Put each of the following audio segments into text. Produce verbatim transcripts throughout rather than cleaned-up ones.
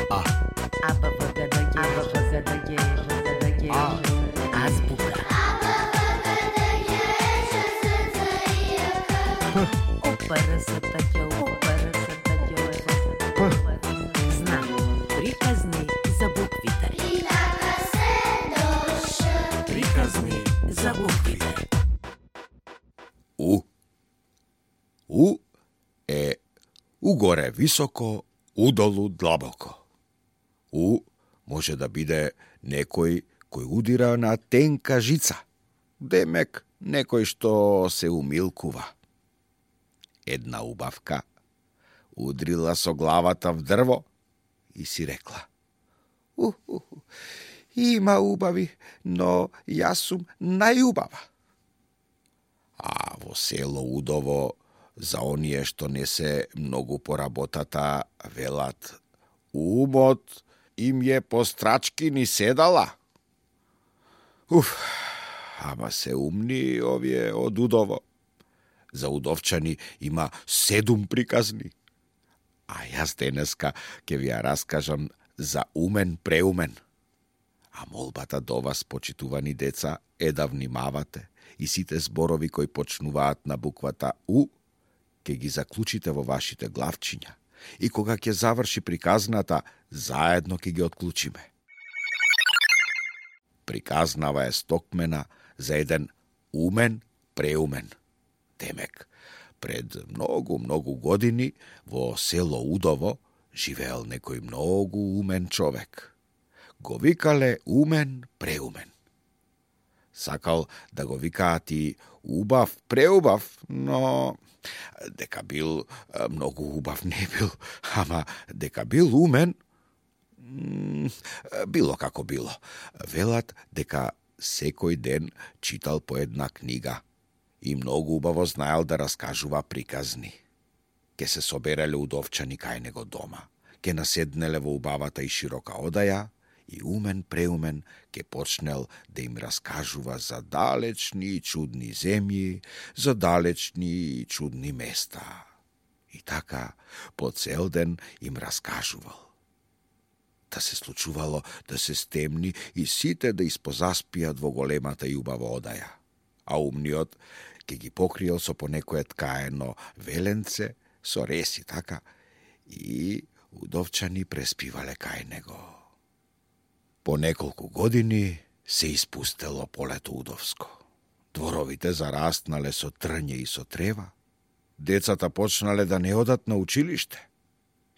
А. А, Б, В, Г, Д, Г, Б, В, Г, Д, Г, Б, Г, Д, Г. А. Азбука. Опарасата ѓо, опарасата ѓо. Знам. Приказни за буквите. Приказни за буквите. У. У е угоре високо, удолу длабоко. У може да биде некој кој удира на тенка жица, демек некој што се умилкува. Една убавка удрила со главата в дрво и си рекла: У, у, у, има убави, но јас сум најубава. А во село Удово, за оние што не се многу по работата, велат: умот им е по страчки ни седала. Уф, ама се умни овие од Удово. За удовчани има седум приказни. А јас денеска ќе ви ја раскажам за умен преумен. А молбата до вас, почитувани деца, е да внимавате и сите зборови кои почнуваат на буквата У, ќе ги заклучите во вашите главчиња. И кога ќе заврши приказната, заедно ќе ги отклучиме. Приказнава е стокмена за еден умен преумен. Демек, пред многу, многу години во село Удово живеел некој многу умен човек. Го викале умен преумен. Сакал да го викаат и убав преубав, но дека бил многу убав не бил, ама дека бил умен, било како било. Велат дека секој ден читал по една книга и многу убаво знаел да раскажува приказни. Ке се собереле удовчани кај него дома, ке наседнеле во убавата и широка одаја и умен преумен ке почнел да им раскажува за далечни и чудни земји, за далечни и чудни места. И така по цел ден им раскажувал. Да се случувало да се стемни и сите да испозаспијат во големата и убава одаја, а умниот ке ги покриел со по некое ткаено веленце со реси, така, и удовчани преспивале кај него. По неколку години се испустело полето удовско. Дворовите зарастнале со трње и со трева. Децата почнале да не одат на училиште.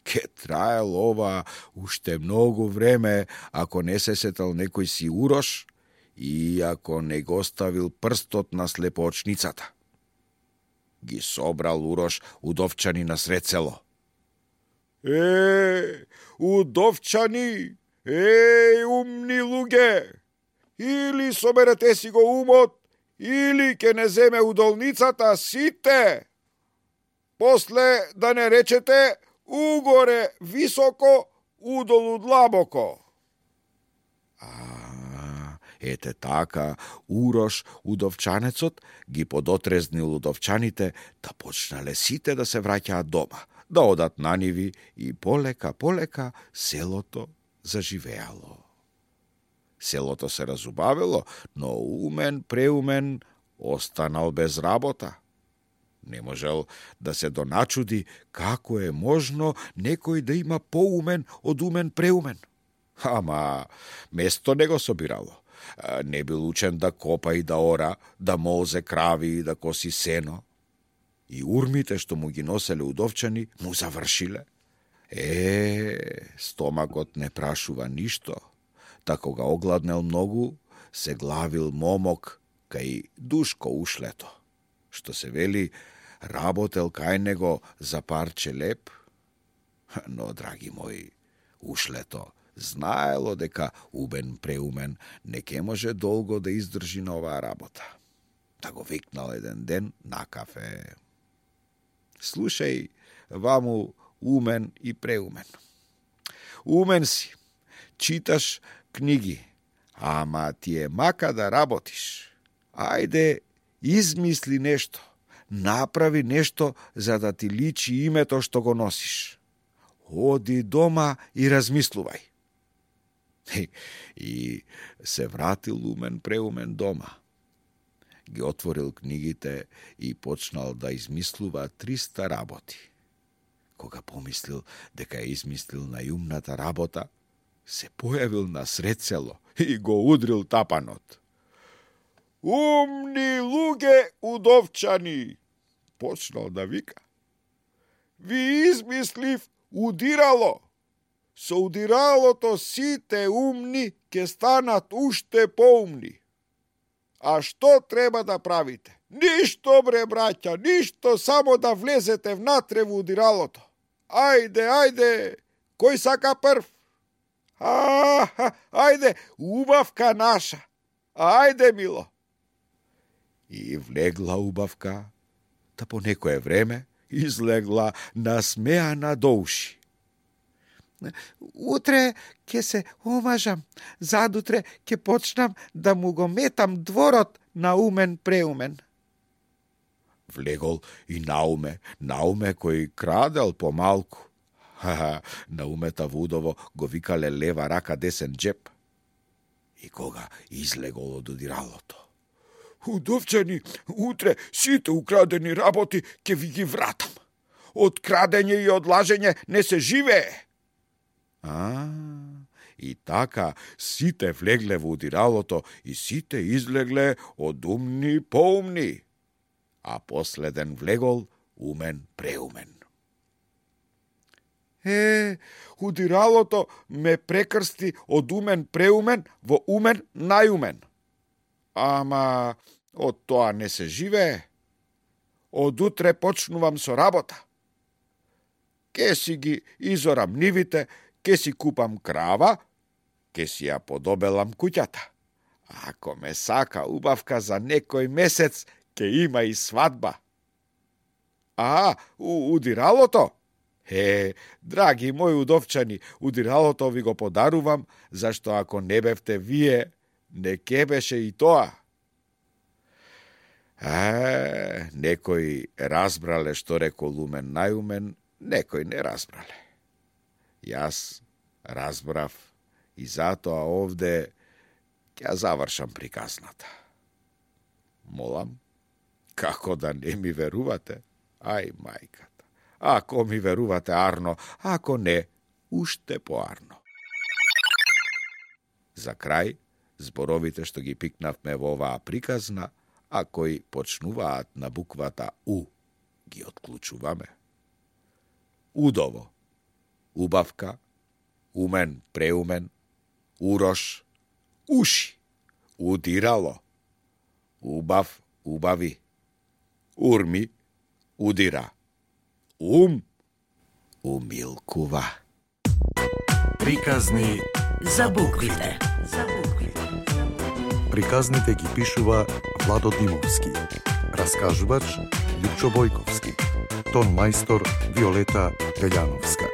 Ке траел ова уште многу време, ако не се сетал некој си Урош и ако не го ставил прстот на слепоочницата. Ги собрал Урош удовчани на сред село. Е, удовчани! Еј, умни луѓе! Или соберете си го умот, или ке не земе удолницата сите. После да не речете угоре високо, удолу длабоко. А, ете така, Урош, удовчанецот, ги подотрезнил удовчаните да почнале сите да се враќаат дома, да одат на ниви и полека, полека селото заживеало. Селото се разубавило, но умен преумен останал без работа. Не можел да се доначуди како е можно некој да има поумен од умен преумен. Ама место не го собирало. Не бил учен да копа и да ора, да молзе крави и да коси сено. И урмите што му ги носеле удовчани му завршиле. Е, стомакот не прашува ништо. Та кога огладнел многу, се главил момок кај Душко ушлето. Што се вели, работел кај него за парче леп. Но, драги мои, ушлето знаело дека убен преумен не ке може долго да издржи на оваа работа. Та го викнал еден ден на кафе. Слушај, ваму умен и преумен. Умен си, читаш книги, ама ти е мака да работиш. Ајде, измисли нешто, направи нешто за да ти личи името што го носиш. оди дома и размислувај. И се вратил умен преумен дома. Ги отворил книгите и почнал да измислува триста работи. Кога помислил дека е измислил најумната работа, се појавил насред село и го удрил тапанот. Умни луѓе удовчани, почнал да вика. Ви измислив удирало. Со удиралото сите умни ке станат уште поумни. А што треба да правите? Ништо, бре, браќа, ништо, само да влезете внатре во удиралото. Ајде, ајде, кој сака прв? А, ајде, убавка наша. Ајде, мило. И влегла убавка, та по некое време излегла насмеана до уши. Утре ќе се омажам, задутре ќе почнам да му го метам дворот на умен преумен. Влегол и Науме, Науме кој крадел помалку. Ха-ха, Наумета Вудово го викале лева рака десен джеп. И кога излегол од удиралото. Удовчани, утре сите украдени работи ќе ви ги вратам. Од крадење и од лажење не се живее. А, и така сите влегле во удиралото и сите излегле од умни поумни. А последен влегол умен преумен. Е, удиралото ме прекрсти од умен преумен во умен најумен. Ама од тоа не се живее. Од утре почнувам со работа. Ке си ги изорам нивите, ке си купам крава, ке си ја подобелам куќата. Ако ме сака убавка за некој месец, ке има и свадба. А, у удиралото? Е, драги мои удовчани, удиралото ви го подарувам, зашто ако не бевте вие, не ке беше и тоа. А, некои разбрале што рекол умен најумен, некои не разбрале. Јас разбрав и затоа овде ќе завршам приказната. Молам, како да не ми верувате? Ај, мајката. Ако ми верувате арно, ако не, уште поарно. За крај, зборовите што ги пикнавме во оваа приказна, а кои почнуваат на буквата У, ги отклучуваме. Удово, убавка, умен, преумен, урош, уши, удирало, убав, убави, урми, удира, ум, умилкува. Приказни За буквите. За буквите. Приказните ги пишува Владо Димовски. Раскажувач Лјупчо Бојковски. Тон мајстор Виолета Белјановска.